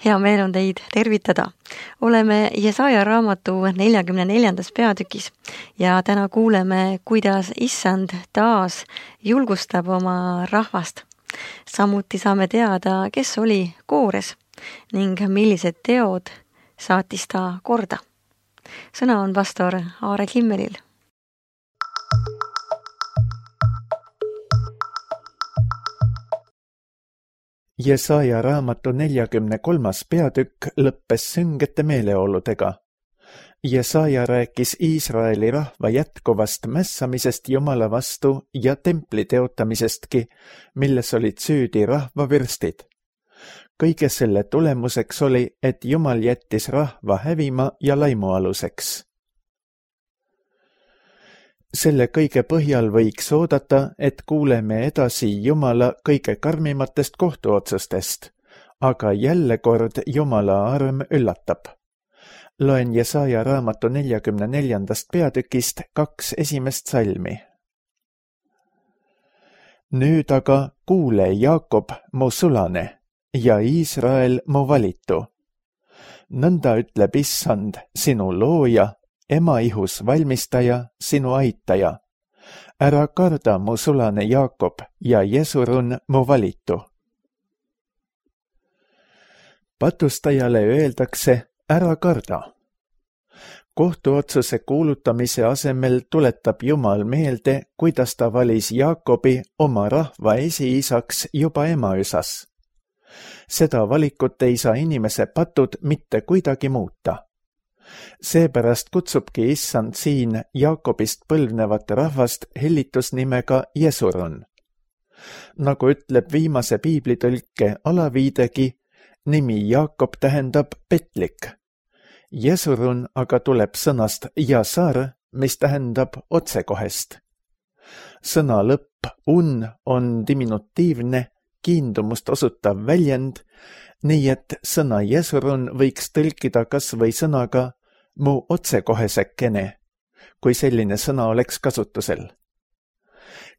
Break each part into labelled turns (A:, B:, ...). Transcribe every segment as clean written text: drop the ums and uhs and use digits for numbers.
A: Hea meel on teid tervitada. Oleme Jesaja raamatu 44. peatükis ja täna kuuleme, kuidas Issand taas julgustab oma rahvast. Samuti saame teada, kes oli koores ning millised teod saatis ta korda. Sõna on pastor Aare Kimmelil.
B: Jesaja raamatu 43. peatükk lõppes süngete meeleoludega. Jesaja rääkis Iisraeli rahva jätkuvast mässamisest Jumala vastu ja templi teotamisestki, milles olid süüdi rahvavürstid. Kõige selle tulemuseks oli, et Jumal jättis rahva hävima ja laimualuseks. Selle kõige põhjal võiks oodata, et kuuleme edasi Jumala kõige karmimatest kohtuotsustest, aga jälle kord Jumala arm üllatab. Loen Jesaja raamatu 44. peatükist 2 esimest salmi. Nüüd aga kuule, Jaakob, mu sulane, ja Iisrael mu valitu. Nõnda ütleb Issand, sinu looja, ema ihus valmistaja, sinu aitaja. Ära karda, mu sulane Jaakob, ja Jesurun mu valitu. Patustajale öeldakse, ära karda. Kohtuotsuse kuulutamise asemel tuletab Jumal meelde, kuidas ta valis Jaakobi oma rahva esiisaks juba emaüsas. Seda valikut ei saa inimese patud mitte kuidagi muuta. Seepärast kutsubki Issand siin Jaakobist põlvnevat rahvast hellitusnimega Jesurun. Nagu ütleb viimase piiblitõlke alaviidegi, nimi Jaakob tähendab petlik. Jesurun aga tuleb sõnast jasar, mis tähendab otsekohest. Sõna lõpp on diminutiivne, kiindumust osutav väljend, nii et sõna Jesurun võiks tõlkida kas või sõnaga mu otsekohesekene, kui selline sõna oleks kasutusel.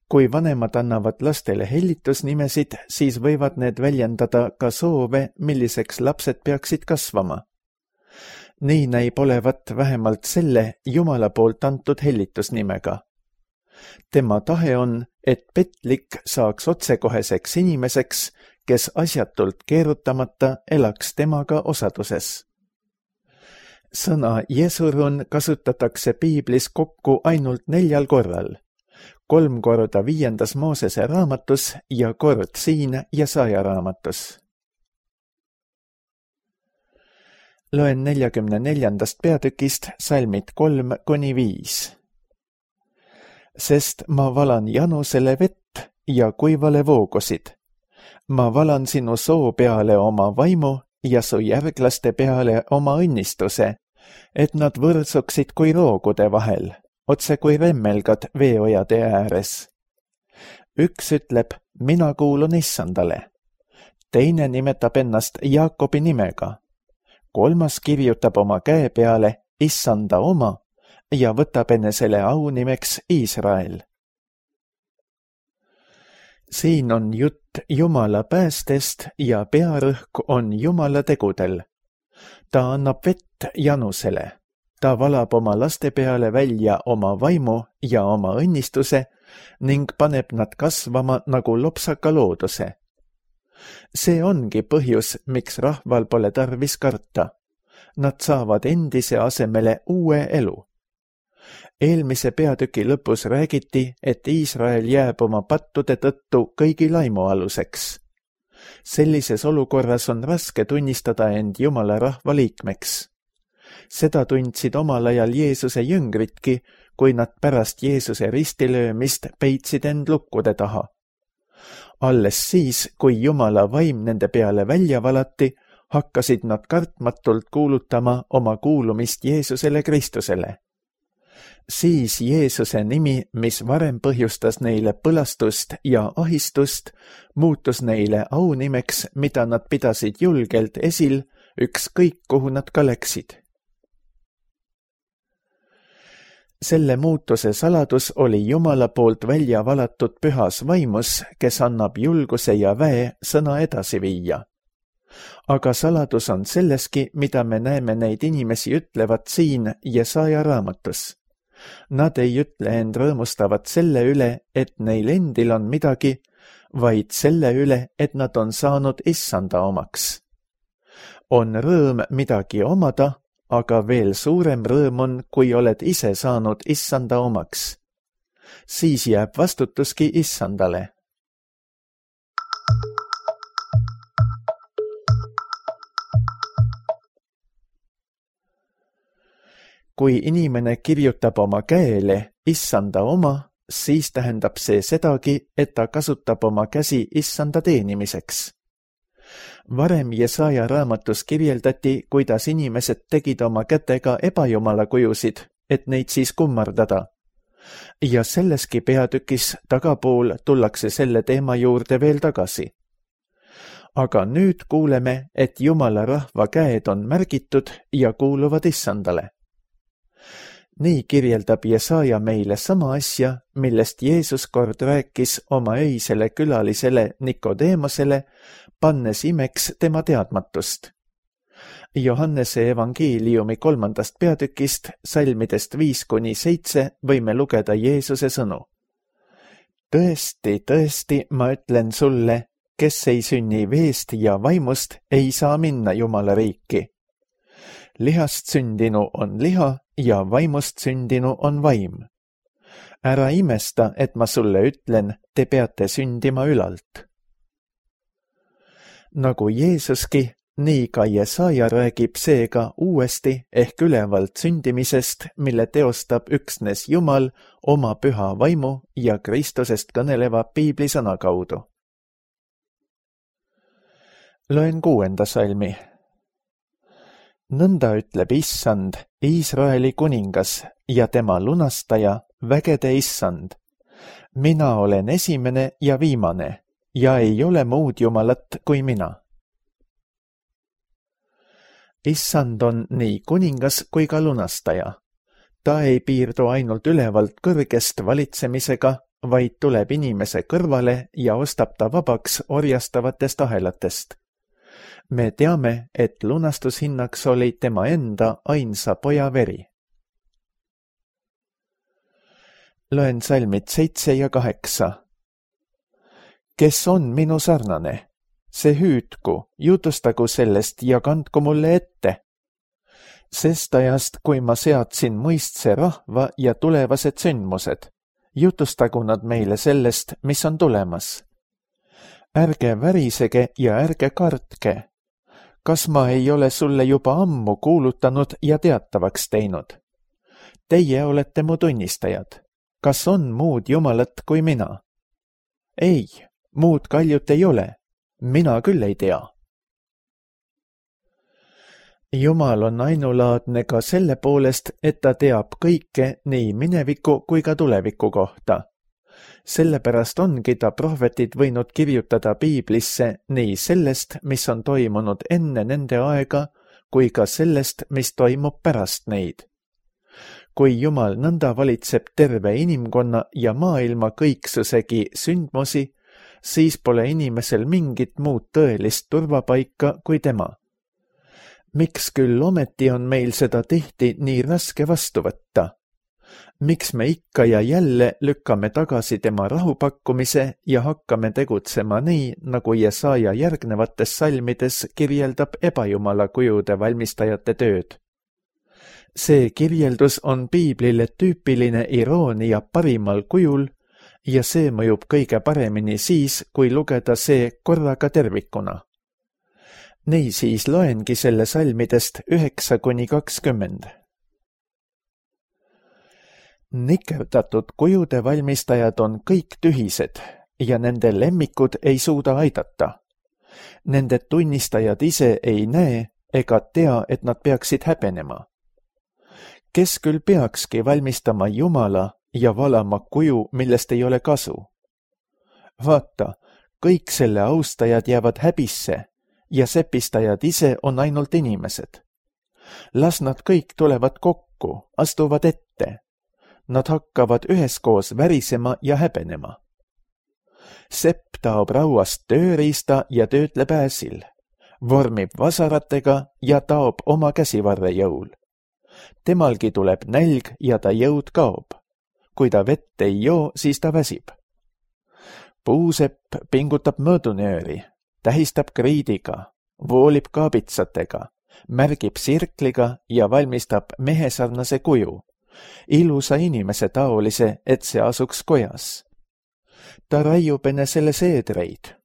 B: Kui vanemad annavad lastele hellitusnimesid, siis võivad need väljendada ka soove, milliseks lapsed peaksid kasvama. Nii näib olevat vähemalt selle Jumala poolt antud hellitusnimega. Tema tahe on, et petlik saaks otsekoheseks inimeseks, kes asjatult keerutamata elaks temaga osaduses. Sõna Jesurun kasutatakse piiblis kokku ainult 4 korral, 3 korda 5. Moosese raamatus ja kord siin Jesaja raamatus. Loen 44. peatükist salmid 3-5. Sest ma valan janusele vett ja kuivale voogusid. Ma valan sinu soo peale oma vaimu ja su järglaste peale oma õnnistuse, et nad võrdsuksid kui roogude vahel, otse kui remmelgad veeojade ääres. Üks ütleb, mina kuulun Issandale. Teine nimetab ennast Jaakobi nimega. 3. kirjutab oma käe peale Issanda oma ja võtab enesele aunimeks Iisrael. Siin on jutt Jumala päästest ja pearõhk on Jumala tegudel. Ta annab vett janusele. Ta valab oma laste peale välja oma vaimu ja oma õnnistuse ning paneb nad kasvama nagu lopsaka looduse. See ongi põhjus, miks rahval pole tarvis karta. Nad saavad endise asemele uue elu. Eelmise peatüki lõpus räägiti, et Iisrael jääb oma pattude tõttu kõigi laimualuseks. Sellises olukorras on raske tunnistada end Jumala rahva liikmeks. Seda tundsid omal ajal Jeesuse jüngritki, kui nad pärast Jeesuse ristilöömist peitsid end lukkude taha. Alles siis, kui Jumala vaim nende peale välja valati, hakkasid nad kartmatult kuulutama oma kuulumist Jeesusele Kristusele. Siis Jeesuse nimi, mis varem põhjustas neile põlastust ja ahistust, muutus neile aunimeks, mida nad pidasid julgelt esil, ükskõik kuhu nad ka läksid. Selle muutuse saladus oli Jumala poolt välja valatud pühas vaimus, kes annab julguse ja väe sõna edasi viia. Aga saladus on selleski, mida me näeme neid inimesi ütlevat siin Jesaja raamatus. Nad ei ütle end rõõmustavat selle üle, et neil endil on midagi, vaid selle üle, et nad on saanud issanda omaks. On rõõm midagi omada, aga veel suurem rõõm on, kui oled ise saanud issanda omaks. Siis jääb vastutuski issandale. Kui inimene kirjutab oma käele issanda oma, siis tähendab see sedagi, et ta kasutab oma käsi issanda teenimiseks. Varem Jesaja raamatus kirjeldati, kuidas inimesed tegid oma kätega ebajumala kujusid, et neid siis kummardada. Ja selleski peatükis tagapool tullakse selle teema juurde veel tagasi. Aga nüüd kuuleme, et Jumala rahva käed on märgitud ja kuuluvad issandale. Nii kirjeldab Jesaja meile sama asja, millest Jeesus kord rääkis oma öisele külalisele Nikodeemosele, pannes imeks tema teadmatust. Johannese evangeeliumi 3. peatükist, salmidest 5-7 võime lugeda Jeesuse sõnu. Tõesti, tõesti, ma ütlen sulle, kes ei sünni veest ja vaimust, ei saa minna Jumala riiki. Lihast sündinu on liha ja vaimust sündinu on vaim. Ära imesta, et ma sulle ütlen, te peate sündima ülalt. Nagu Jeesuski, nii ka Jesaja räägib seega uuesti ehk ülevalt sündimisest, mille teostab üksnes Jumal oma püha vaimu ja Kristusest kõneleva piiblisõna kaudu. Loen 6. salmi. Nõnda ütleb issand, Iisraeli kuningas ja tema lunastaja, vägede issand. Mina olen esimene ja viimane ja ei ole muud jumalat kui mina. Issand on nii kuningas kui ka lunastaja. Ta ei piirdu ainult ülevalt kõrgest valitsemisega, vaid tuleb inimese kõrvale ja ostab ta vabaks orjastavatest ahelatest. Me teame, et lunastushinnaks oli tema enda ainsa poja veri. Loen salmid 7 ja 8. Kes on minu sarnane? See hüüdku, jutustagu sellest ja kandku mulle ette. Sest ajast, kui ma seadsin mõistse rahva ja tulevased sündmused, jutustagu nad meile sellest, mis on tulemas. Ärge värisege ja ärge kartke. Kas ma ei ole sulle juba ammu kuulutanud ja teatavaks teinud? Teie olete mu tunnistajad. Kas on muud jumalat kui mina? Ei, muud kaljut ei ole. Mina küll ei tea. Jumal on ainulaadne ka selle poolest, et ta teab kõike nii mineviku kui ka tuleviku kohta. Sellepärast ongi ta prohvetid võinud kirjutada piiblisse nii sellest, mis on toimunud enne nende aega, kui ka sellest, mis toimub pärast neid. Kui Jumal nõnda valitseb terve inimkonna ja maailma kõiksusegi sündmusi, siis pole inimesel mingit muud tõelist turvapaika kui tema. Miks küll ometi on meil seda tihti nii raske vastu võtta? Miks me ikka ja jälle lükkame tagasi tema rahupakkumise ja hakkame tegutsema nii, nagu Jesaja järgnevates salmides kirjeldab ebajumala kujude valmistajate tööd? See kirjeldus on piiblile tüüpiline iroonia parimal kujul ja see mõjub kõige paremini siis, kui lugeda see korraga tervikuna. Niisiis loengi selle salmidest 9-20. Nikerdatud kujude valmistajad on kõik tühised ja nende lemmikud ei suuda aidata. Nende tunnistajad ise ei näe ega tea, et nad peaksid häbenema. Kes küll peakski valmistama Jumala ja valama kuju, millest ei ole kasu? Vaata, kõik selle austajad jäävad häbisse ja sepistajad ise on ainult inimesed. Las nad kõik tulevad kokku, astuvad ette. Nad hakkavad üheskoos värisema ja häbenema. Sepp taob rauast tööriista ja töötleb ääsil. vormib vasaratega ja taob oma käsivarre jõul. Temalgi tuleb nälg ja ta jõud kaob. Kui ta vett ei joo, siis ta väsib. Puusepp pingutab mõõdunööri, tähistab kriidiga, voolib kaabitsatega, märgib sirkliga ja valmistab mehesarnase kuju, ilusa inimese taolise, et see asuks kojas. Ta raiub enesele seedreid.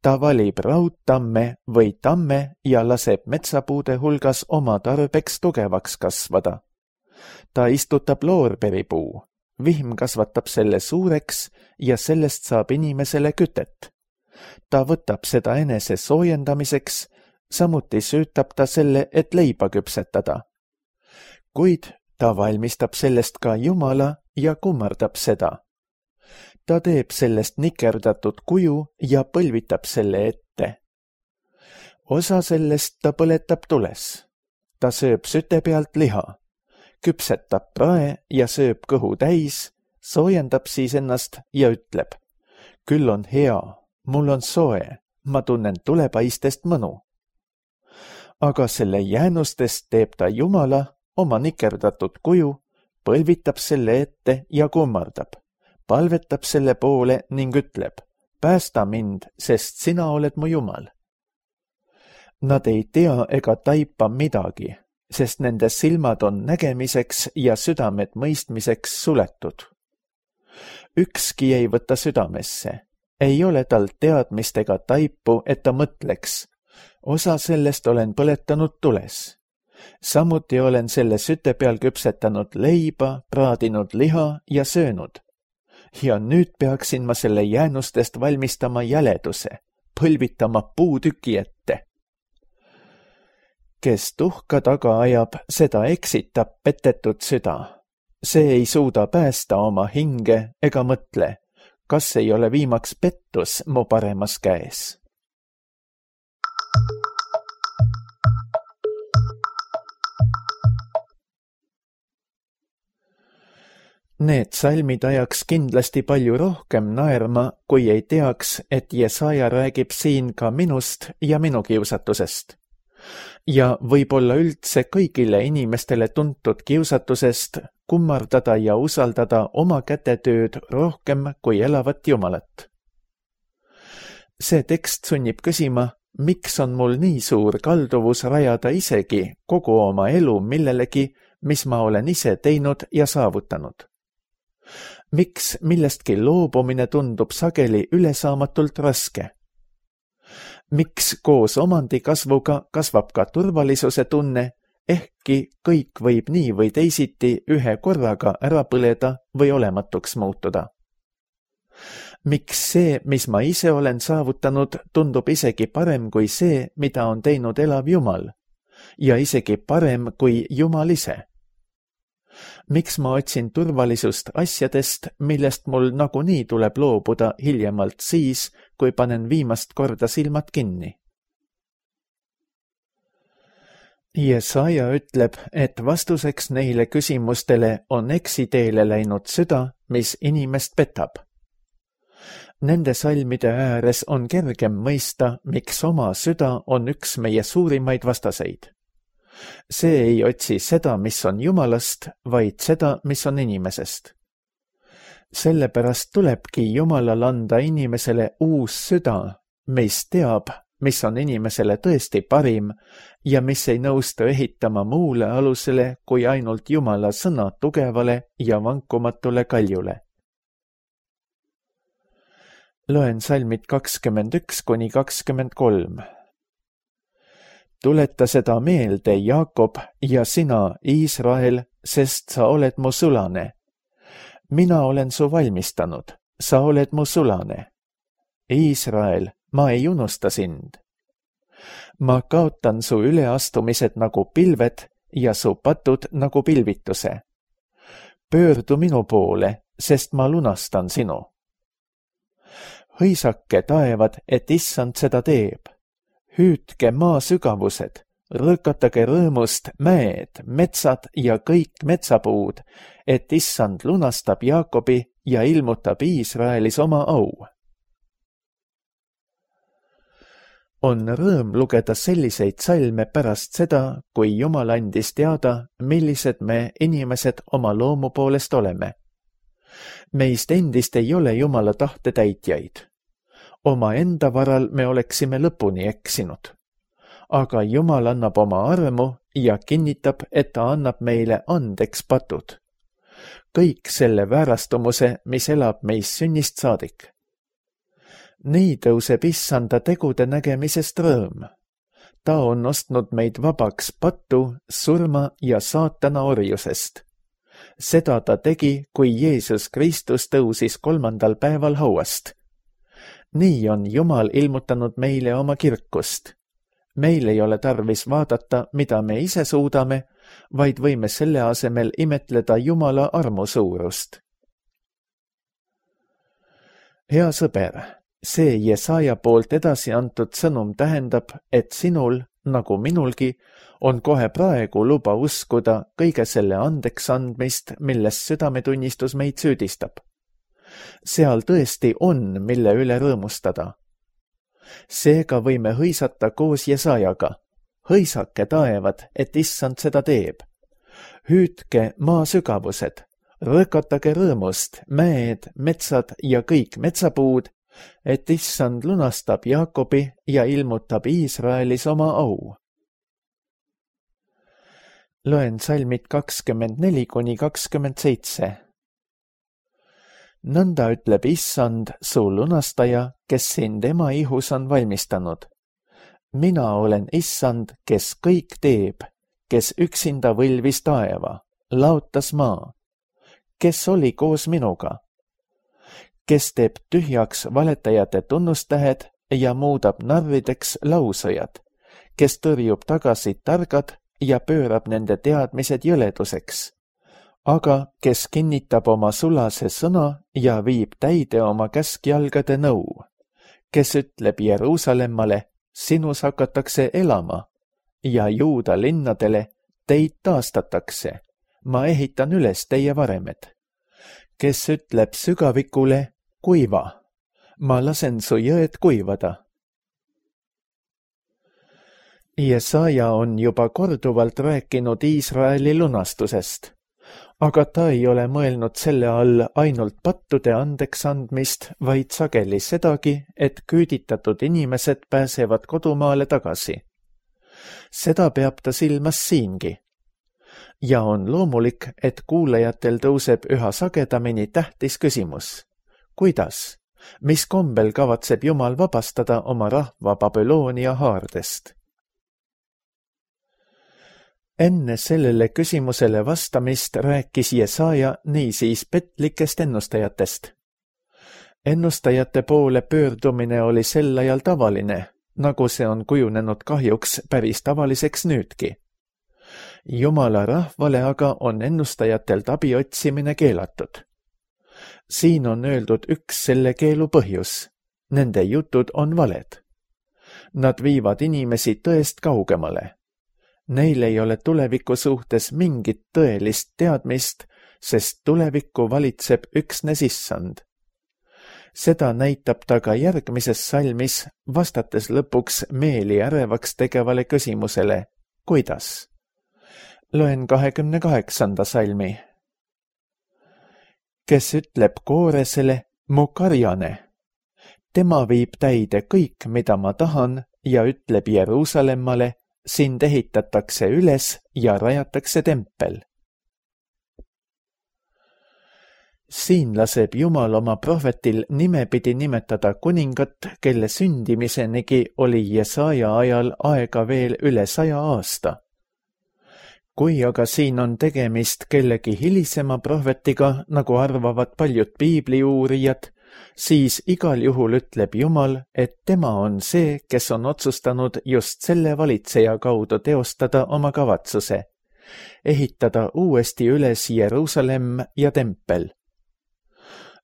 B: Ta valib raudtamme või tamme ja laseb metsapuude hulgas oma tarbeks tugevaks kasvada. Ta istutab loorberipuu, vihm kasvatab selle suureks ja sellest saab inimesele kütet. Ta võtab seda enese soojendamiseks, samuti süütab ta selle, et leiba küpsetada. Kuid ta valmistab sellest ka Jumala ja kummardab seda. Ta teeb sellest nikerdatud kuju ja põlvitab selle ette. Osa sellest ta põletab tules. Ta sööb süte pealt liha, küpsetab prae ja sööb kõhu täis, soojendab siis ennast ja ütleb, küll on hea, mul on soe, ma tunnen tulepaistest mõnu. Aga selle jäänustest teeb ta Jumala oma nikerdatud kuju, põlvitab selle ette ja kummardab. Palvetab selle poole ning ütleb, päästa mind, sest sina oled mu Jumal. Nad ei tea ega taipa midagi, sest nende silmad on nägemiseks ja südamed mõistmiseks suletud. Ükski ei võta südamesse, ei ole tal teadmist ega taipu, et ta mõtleks. Osa sellest olen põletanud tules. Samuti olen selle süte peal küpsetanud leiba, praadinud liha ja söönud. Ja nüüd peaksin ma selle jäänustest valmistama jäleduse, põlvitama puutüki ette. Kes tuhka taga ajab, seda eksitab petetud süda. See ei suuda päästa oma hinge ega mõtle, kas ei ole viimaks pettus mu paremas käes. Need salmid ajaks kindlasti palju rohkem naerma, kui ei teaks, et Jesaja räägib siin ka minust ja minu kiusatusest. Ja võib-olla üldse kõigile inimestele tuntud kiusatusest kummardada ja usaldada oma kätetööd rohkem kui elavat Jumalat. See tekst sunnib küsima, miks on mul nii suur kalduvus rajada isegi kogu oma elu millelegi, mis ma olen ise teinud ja saavutanud. Miks millestki loobumine tundub sageli ülesaamatult raske? Miks koos omandi kasvuga kasvab ka turvalisuse tunne, ehkki kõik võib nii või teisiti ühe korraga ära põleda või olematuks muutuda? Miks see, mis ma ise olen saavutanud, tundub isegi parem kui see, mida on teinud elav Jumal, ja isegi parem kui Jumal ise? Miks ma otsin turvalisust asjadest, millest mul nagunii tuleb loobuda hiljemalt siis, kui panen viimast korda silmad kinni? Jesaja ütleb, et vastuseks neile küsimustele on eksiteele läinud süda, mis inimest petab. Nende salmide ääres on kergem mõista, miks oma süda on üks meie suurimaid vastaseid. See ei otsi seda, mis on Jumalast, vaid seda, mis on inimesest. Sellepärast tulebki Jumalal anda inimesele uus süda, mis teab, mis on inimesele tõesti parim ja mis ei nõustu ehitama muule alusele kui ainult Jumala sõna tugevale ja vankumatule kaljule. Loen salmid 21–23. Tuleta seda meelde, Jaakob, ja sina, Iisrael, sest sa oled mu sulane. Mina olen su valmistanud, sa oled mu sulane. Iisrael, ma ei unusta sind. Ma kaotan su üleastumised nagu pilved ja su patud nagu pilvituse. Pöördu minu poole, sest ma lunastan sinu. Hõisake taevad, et issand seda teeb. Hüüdke maa sügavused, rõõkatage rõõmust mäed, metsad ja kõik metsapuud, et issand lunastab Jaakobi ja ilmutab Iisraelis oma au. On rõõm lugeda selliseid salme pärast seda, kui Jumal andis teada, millised me inimesed oma loomu poolest oleme. Meist endist ei ole Jumala tahte täitjaid. Oma enda varal me oleksime lõpuni eksinud. Aga Jumal annab oma armu ja kinnitab, et ta annab meile andeks patud. Kõik selle väärastumuse, mis elab meis sünnist saadik. Nii tõuseb issanda tegude nägemisest rõõm. Ta on ostnud meid vabaks pattu, surma ja saatana orjusest. Seda ta tegi, kui Jeesus Kristus tõusis 3. päeval hauast. Nii on Jumal ilmutanud meile oma kirkust. Meil ei ole tarvis vaadata, mida me ise suudame, vaid võime selle asemel imetleda Jumala armu suurust. Hea sõber, see Jesaja poolt edasi antud sõnum tähendab, et sinul, nagu minulgi, on kohe praegu luba uskuda kõige selle andeks andmist, milles südametunnistus meid süüdistab. Seal tõesti on, mille üle rõõmustada. Seega võime hõisata koos Jesajaga. Hõisake taevad, et issand seda teeb. Hüüdke maa sügavused, rõkatage rõõmust, mäed, metsad ja kõik metsapuud, et issand lunastab Jaakobi ja ilmutab Iisraelis oma au. Loen salmid 24–27. Nõnda ütleb issand, su lunastaja, kes sind ema ihus on valmistanud. Mina olen issand, kes kõik teeb, kes üksinda võlvis taeva, laotas maa. Kes oli koos minuga? Kes teeb tühjaks valetajate tunnustähed ja muudab narrideks lausõjad, kes tõrjub tagasi targad ja pöörab nende teadmised jõleduseks, aga kes kinnitab oma sulase sõna ja viib täide oma käskjalgade nõu, kes ütleb Jeruusalemmale, sinus hakatakse elama, ja Juuda linnadele, teid taastatakse, ma ehitan üles teie varemed, kes ütleb sügavikule, kuiva, ma lasen su jõed kuivada. Jesaja on juba korduvalt rääkinud Iisraeli lunastusest, aga ta ei ole mõelnud selle all ainult pattude andeks andmist, vaid sageli sedagi, et küüditatud inimesed pääsevad kodumaale tagasi. Seda peab ta silmas siingi. Ja on loomulik, et kuulajatel tõuseb üha sagedamini tähtis küsimus. Kuidas? Mis kombel kavatseb Jumal vabastada oma rahva Babyloonia haardest? Enne sellele küsimusele vastamist rääkis Jesaja niisiis petlikest ennustajatest. Ennustajate poole pöördumine oli sel ajal tavaline, nagu see on kujunenud kahjuks päris tavaliseks nüüdki. Jumala rahvale aga on ennustajatelt abi otsimine keelatud. Siin on öeldud üks selle keelu põhjus. Nende jutud on valed. Nad viivad inimesi tõest kaugemale. Neil ei ole tuleviku suhtes mingit tõelist teadmist, sest tulevikku valitseb üksnes issand. Seda näitab ta ka järgmises salmis, vastates lõpuks meeli ärevaks tegevale küsimusele, kuidas? Loen 28. salmi. Kes ütleb Kooresele, mu karjane. Tema viib täide kõik, mida ma tahan, ja ütleb Jeruusalemmale, sind ehitatakse üles ja rajatakse tempel. Siin laseb Jumal oma prohvetil nimepidi nimetada kuningat, kelle sündimisenigi oli Jesaja ajal aega veel üle 100 aasta. Kui aga siin on tegemist kellegi hilisema prohvetiga, nagu arvavad paljud piibliuurijad, siis igal juhul ütleb Jumal, et tema on see, kes on otsustanud just selle valitseja kaudu teostada oma kavatsuse, ehitada uuesti üles Jeruusalemm ja tempel.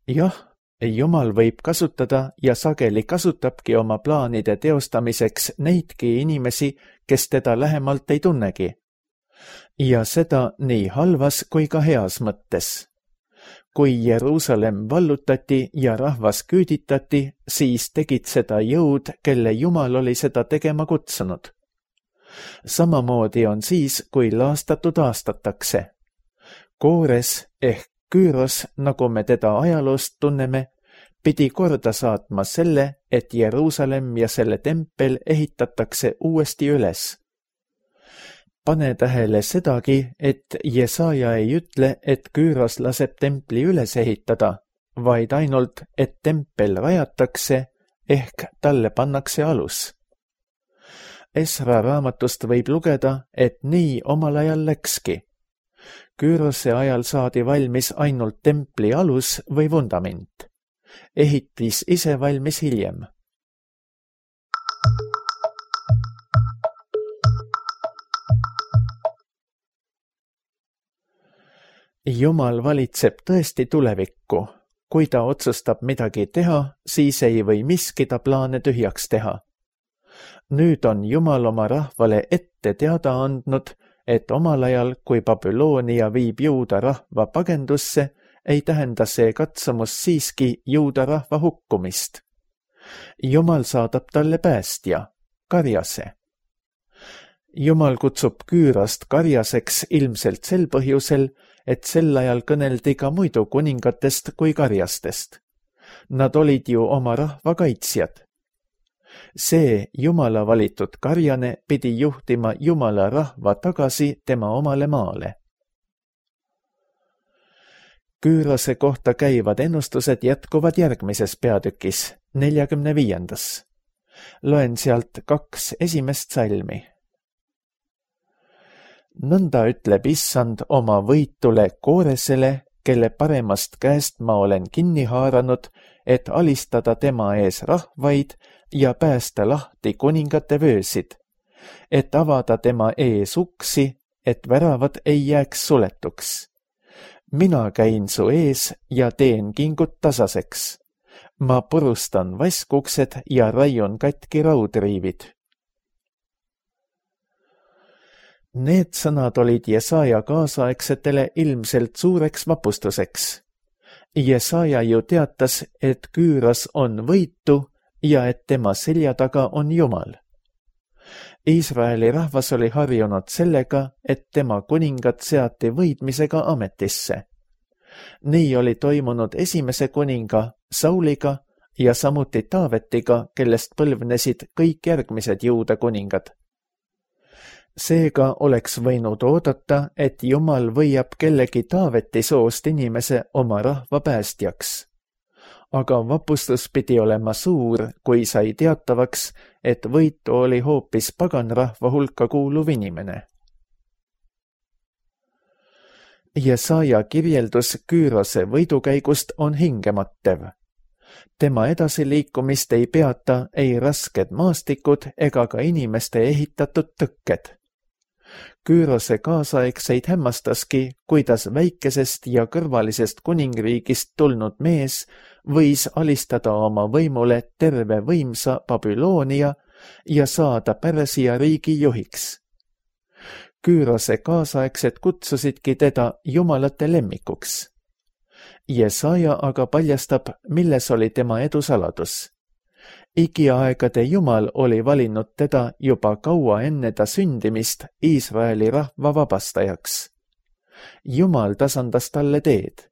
B: Jah, Jumal võib kasutada ja sageli kasutabki oma plaanide teostamiseks neidki inimesi, kes teda lähemalt ei tunnegi. Ja seda nii halvas kui ka heas mõttes. Kui Jeruusalemm vallutati ja rahvas küüditati, siis tegid seda jõud, kelle Jumal oli seda tegema kutsunud. Samamoodi on siis, kui laastatud aastatakse. Koores ehk Küüros, nagu me teda ajaloost tunneme, pidi korda saatma selle, et Jeruusalemm ja selle tempel ehitatakse uuesti üles. Pane tähele sedagi, et Jesaja ei ütle, et Küüros laseb templi üles ehitada, vaid ainult, et tempel rajatakse ehk talle pannakse alus. Esra raamatust võib lugeda, et nii omal ajal läkski. Küürose ajal saadi valmis ainult templi alus või vundament. Ehitis ise valmis hiljem. Jumal valitseb tõesti tulevikku. Kui ta otsustab midagi teha, siis ei või miski ta plaane tühjaks teha. Nüüd on Jumal oma rahvale ette teada andnud, et omal ajal, kui Babyloonia viib juuda rahva pagendusse, ei tähenda see katsumus siiski juuda rahva hukkumist. Jumal saadab talle päästja, Karjase. Jumal kutsub Küürost Karjaseks ilmselt sel põhjusel, et sel ajal kõneldi ka muidu kuningatest kui Karjastest. Nad olid ju oma rahva kaitsjad. See Jumala valitud Karjane pidi juhtima Jumala rahva tagasi tema omale maale. Küürose kohta käivad ennustused jätkuvad järgmises peatükis, 45. Loen sealt 2 esimest salmi. Nõnda ütleb Issand oma võitule Kooresele, kelle paremast käest ma olen kinni haaranud, et alistada tema ees rahvaid ja päästa lahti kuningate vöösid, et avada tema ees uksi, et väravad ei jääks suletuks. Mina käin su ees ja teen kingud tasaseks. Ma purustan vaskuksed ja raiun katki raudriivid. Need sõnad olid Jesaja kaasaegsetele ilmselt suureks vapustuseks. Jesaja ju teatas, et Küüros on võitu ja et tema selja taga on Jumal. Iisraeli rahvas oli harjunud sellega, et tema kuningad seati võidmisega ametisse. Nii oli toimunud esimese kuninga Sauliga ja samuti Taavetiga, kellest põlvnesid kõik järgmised Juuda kuningad. Seega oleks võinud oodata, et Jumal võiab kellegi Taaveti soost inimese oma rahva päästjaks. Aga vapustus pidi olema suur, kui sai teatavaks, et võitu oli hoopis paganrahva hulka kuuluv inimene. Jesaja kirjeldus Küürose võidukäigust on hingemattev. Tema edasiliikumist ei peata ei rasked maastikud ega ka inimeste ehitatud tõkked. Küürose kaasaegseid hämmastaski, kuidas väikesest ja kõrvalisest kuningriigist tulnud mees võis alistada oma võimule terve võimsa Babyloonia ja saada Pärsia riigi juhiks. Küürose kaasaegsed kutsusidki teda jumalate lemmikuks. Jesaja aga paljastab, milles oli tema edu saladus. Igiaegade Jumal oli valinud teda juba kaua enne ta sündimist Iisraeli rahva vabastajaks. Jumal tasandas talle teed.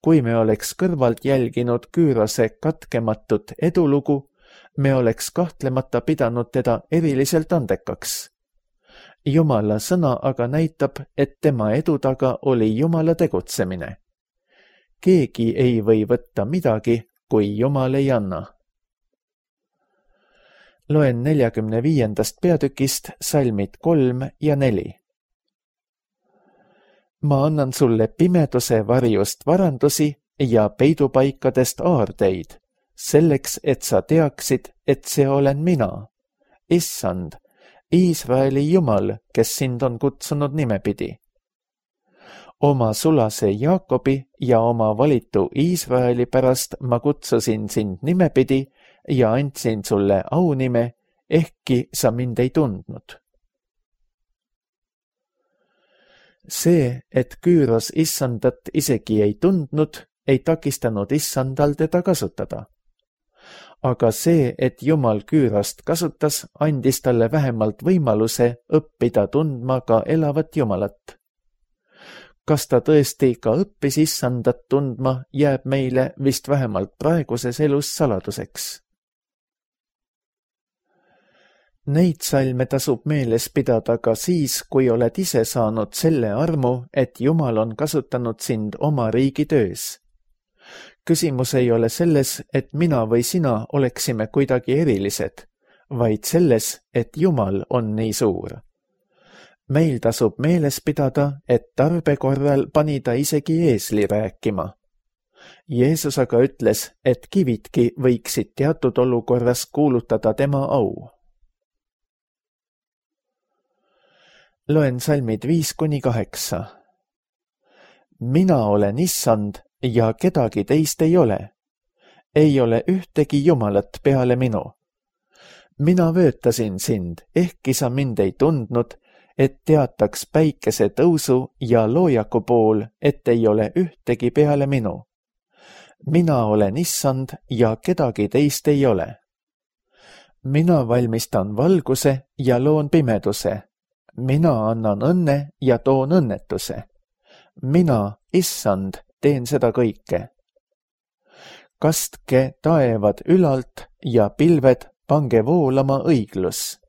B: Kui me oleks kõrvalt jälginud Küürose katkematut edulugu, me oleks kahtlemata pidanud teda eriliselt andekaks. Jumala sõna aga näitab, et tema edu taga oli Jumala tegutsemine. Keegi ei või võtta midagi, kui Jumal ei anna. Loen 45. peatükist salmid 3 ja 4. Ma annan sulle pimeduse varjust varandusi ja peidupaikadest aardeid, selleks, et sa teaksid, et see olen mina, Issand, Iisraeli Jumal, kes sind on kutsunud nimepidi. Oma sulase Jaakobi ja oma valitu Iisraeli pärast ma kutsusin sind nimepidi ja andsin sulle aunime, ehkki sa mind ei tundnud. See, et Küüros issandat isegi ei tundnud, ei takistanud issandal teda kasutada. Aga see, et Jumal Küürost kasutas, andis talle vähemalt võimaluse õppida tundma ka elavat Jumalat. Kas ta tõesti ka õppis issandat tundma, jääb meile vist vähemalt praeguses elus saladuseks. Neid salme tasub meeles pidada ka siis, kui oled ise saanud selle armu, et Jumal on kasutanud sind oma riigi töös. Küsimus ei ole selles, et mina või sina oleksime kuidagi erilised, vaid selles, et Jumal on nii suur. Meil tasub meeles pidada, et tarbe korral pani ta isegi eesli rääkima. Jeesus aga ütles, et kividki võiksid teatud olukorras kuulutada tema au. Loen salmid 5-8. Mina olen issand ja kedagi teist ei ole. Ei ole ühtegi Jumalat peale minu. Mina vöötasin sind, ehkki sa mind ei tundnud, et teataks päikese tõusu ja loojaku pool, et ei ole ühtegi peale minu. Mina olen issand ja kedagi teist ei ole. Mina valmistan valguse ja loon pimeduse. Mina annan õnne ja toon õnnetuse. Mina, issand, teen seda kõike. Kastke taevad ülalt ja pilved pange voolama õiglus.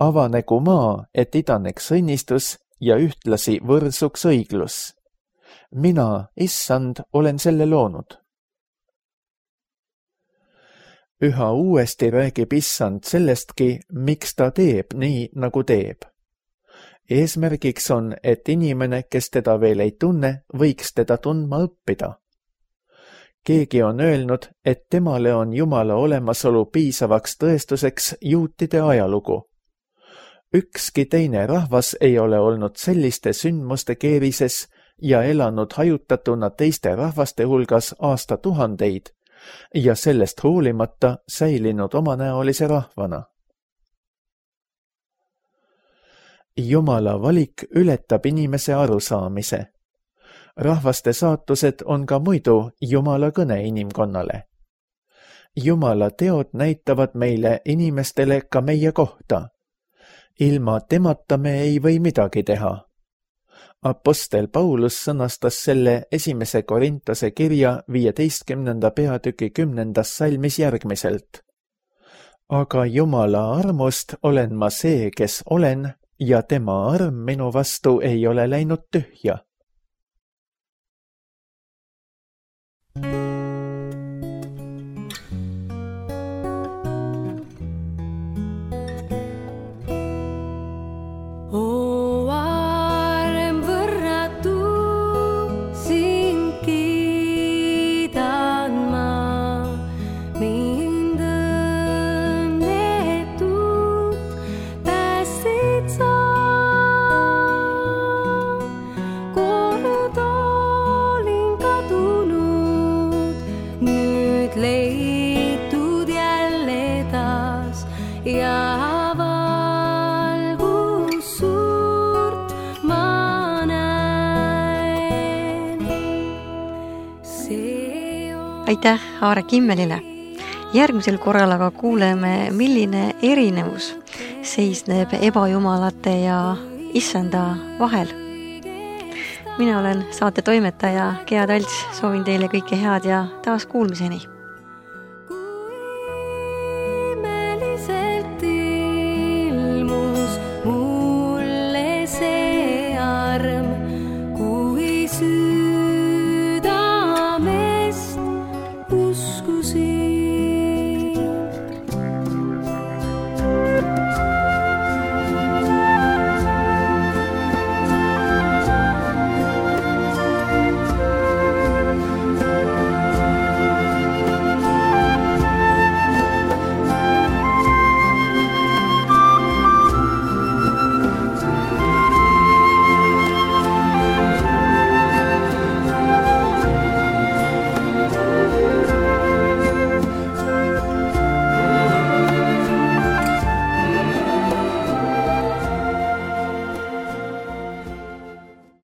B: Avanegu maa, et idaneks õnnistus ja ühtlasi võrsuks õiglus. Mina, issand, olen selle loonud. Üha uuesti räägib issand sellestki, miks ta teeb nii, nagu teeb. Eesmärgiks on, et inimene, kes teda veel ei tunne, võiks teda tundma õppida. Keegi on öelnud, et temale on Jumala olemasolu piisavaks tõestuseks juutide ajalugu. Ükski teine rahvas ei ole olnud selliste sündmuste keerises ja elanud hajutatuna teiste rahvaste hulgas aastatuhandeid ja sellest hoolimata säilinud omanäolise rahvana. Jumala valik ületab inimese arusaamise. Rahvaste saatused on ka muidu Jumala kõne inimkonnale. Jumala teod näitavad meile inimestele ka meie kohta. Ilma temata me ei või midagi teha. Apostel Paulus sõnastas selle 1. Korintuse kirja 15. peatüki 10. salmis järgmiselt. Aga Jumala armust olen ma see, kes olen, ja tema arm minu vastu ei ole läinud tühja.
A: Aitäh Aare Kimmelile. Järgmisel korral aga kuuleme, milline erinevus seisneb ebajumalate ja issanda vahel. Mina olen saate toimetaja Gea Talts, soovin teile kõike head ja taas kuulmiseni.